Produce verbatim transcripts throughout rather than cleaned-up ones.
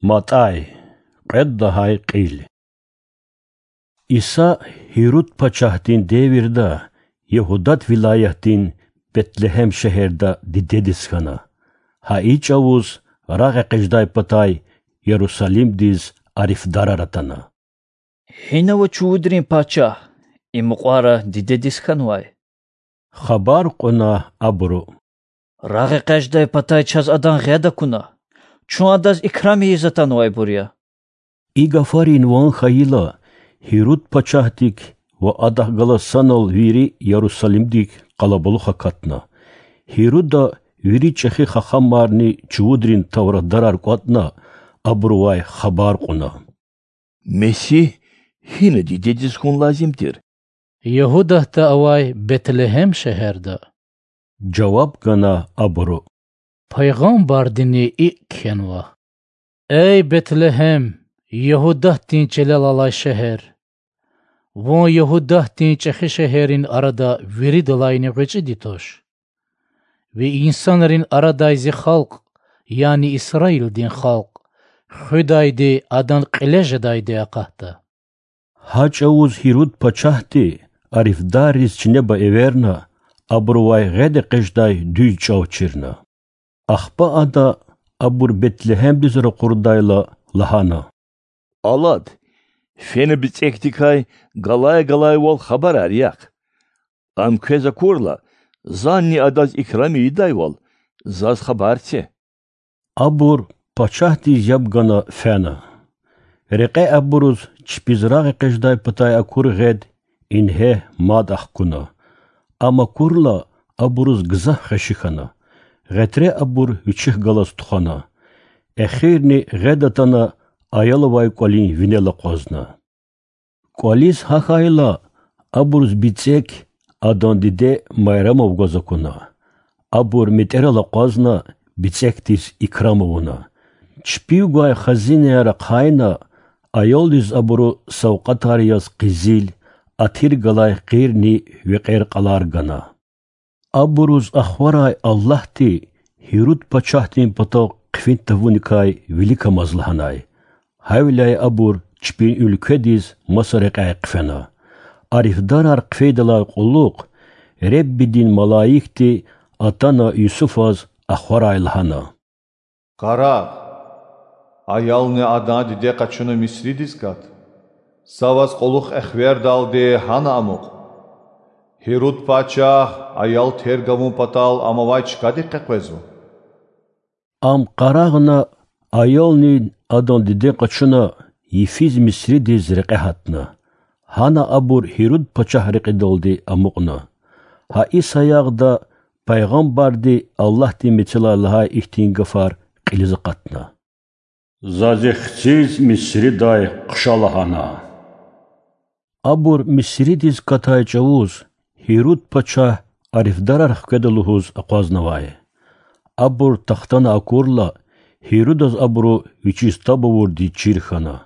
МатӀай. Кьвед лагьай кьил. Иса Гьируд пачагьдин девирда Ягьудат вилаятдин Бетлегьем шегьерда дидедиз хьана. Гьа и чӀавуз рагъэкъечӀдай патай Ярусалимдиз арифдарар атана: Гьина ава чувудрин пачагь, и мукьвара дидедиз хьанвай. Хабар кьуна абуру: РагъэкъечӀдай патай чаз адан гъед акуна. Чун адаз икрам ийиз атанвайбур я. И гафарин ван хьайила, Гьируд пачагьдик ва адахъ галаз санал вири Ярусалимдик къалабулух акатна. Гьируда вири чӀехи хахамарни чувудрин тавратдарар кӀватӀна, абурувай хабар кьуна: Месигь гьина дидедиз хьун лазим тир? Ягьудатда авай Бетлегьем шегьерда,— жаваб гана абуру. Пайгъамбардини икӀ кхьенва: Эй, Бетлегьем, Ягьудатдин чилел алай шегьер! Вун Ягьудатдин чӀехи шегьеррин арада виридалайни гъвечӀиди туш. Ви инсанрин арадай Зи халкь, яни Исраилдин халкь, хуьдайди, адан кьиле жедайди акъатда. Гьа чӀавуз Гьируд пачагьди арифдарриз чинеба эверна, абурувай гъед экъечӀдай дуьз чӀав чирна. Ахпа ада, абур Бетлегьемдиз ракъурдайла, лагьана: Алад, фена бицӀекдикай галай-галайвал хабарар яхъ. Ам квез акурла, Зани адаз икрам ийидайвал, заз хабар це. Абур пачагьдиз яб гана фена. Рекье абуруз чпиз рагъэкъечӀдай патай акур гъед ингье мад ахкуна. Ам акурла, абуруз гзаф хвеши хьана. Гъетре абур вичихъ галаз тухвана. Эхирни гъед атана, аял авай кӀвалин винел акъвазна. КӀвализ гьахьайла, абуруз бицӀек адан диде Майрамав гваз акуна. Абур метӀерал акъвазна, бицӀекдиз икрам авуна. Чпив гвай хазинаяр ахъайна, аялдиз абуру савкьватар яз къизил, атир галай къирни векьер-кьалар гана. Абуруз ахварай Аллагьди Гьируд пачагьдин патав хъфин тавуникай виликамаз лагьанай. Гьавиляй абур чпин уьлкведиз маса рекьяй хъфена. Арифдарар хъфейдалай кьулухъ Реббидин малаикди атана Юсуфаз ахварай лагьана: Къарагъ, аялни адан диде къачуна Мисридиз кат. Са ваз кьулухъ эхвердалди гьана амукь. Гьируд пачагь аял терг авун патал ам авай чкадик къекъвезва. Ам къарагъна, аялни адан диде къачуна йифиз Мисридиз рекье гьатна. Гьана абур Гьируд пачагь рекьидалди амукьна. Гьа и саягъда пайгъамбарди Аллагьдин мецелай лагьай ихьтин гафар кьилиз акъатна: За зи хциз Мисридай хъша лагьана. Абур Мисридиз катай чӀавуз Гьируд пачагь арифдарар хкведа лугьуз акъвазнавай. Абур тахтана акурла, Гьирудаз абуру вичиз таб авурди чир хьана.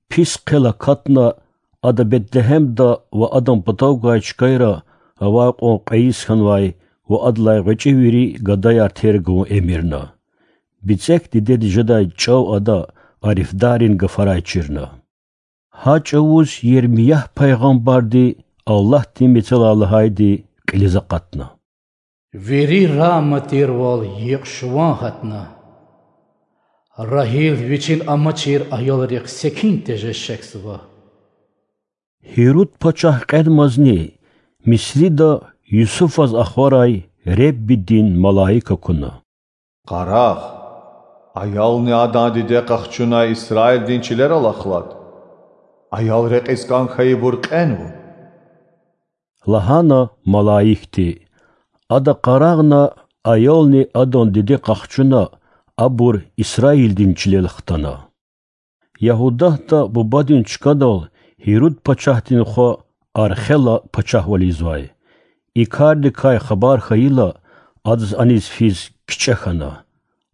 Пис хъел акатна, ада Бетлегьемда ва адан патав гвай чкайра авай кьван кьве йис хьанвай ва адалай гъвечӀи вири гадаяр терг авун эмирна. БицӀек дидеди жедай чӀав ада арифдаррин гафарай чирна. Гьа чӀавуз Ермиягь пайгъамбарди Аллагьдин мецелай лагьайди кьилиз акъатна: Вири Рама тирвал йикъ шуван гьатна. Рагьил вичин амачир аялрихъ секин тежез шехьзава. Гьируд пачагь кьенвазни Мисрида Юсуфаз ахварай Реббидин малаик акуна. Къарагъ, аялни адан диде къахчуна Исраилдин чилерал ахлад. Аял рекьиз кӀан хьайибур кьенва,— лагьана малаикди. Ада къарагъна, аялни адан диде къахчуна, абур Исраилдин чилел хтана. Ягьудатда бубадин чкадал Гьируд пачагьдин хва Архела пачагьвал ийизвай. И кардикай хабар хьайила, адаз аниз физ кичӀе хьана.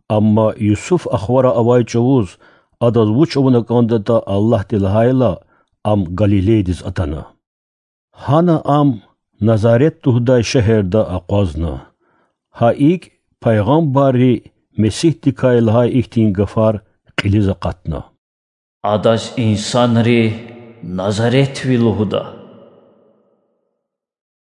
Амма Юсуф ахварай авай чӀавуз, адаз вуч авуна кӀандатӀа Аллагьди лагьайла, ам Галилейдиз атана. Гьана ам Назарет лугьудай шегьерда акъвазна. Гьа икӀ пайгъамбарри Месигьдикай лагьай ихьтин гафар кьилиз акъатна. Адаз инсанри Назаретви лугьуда.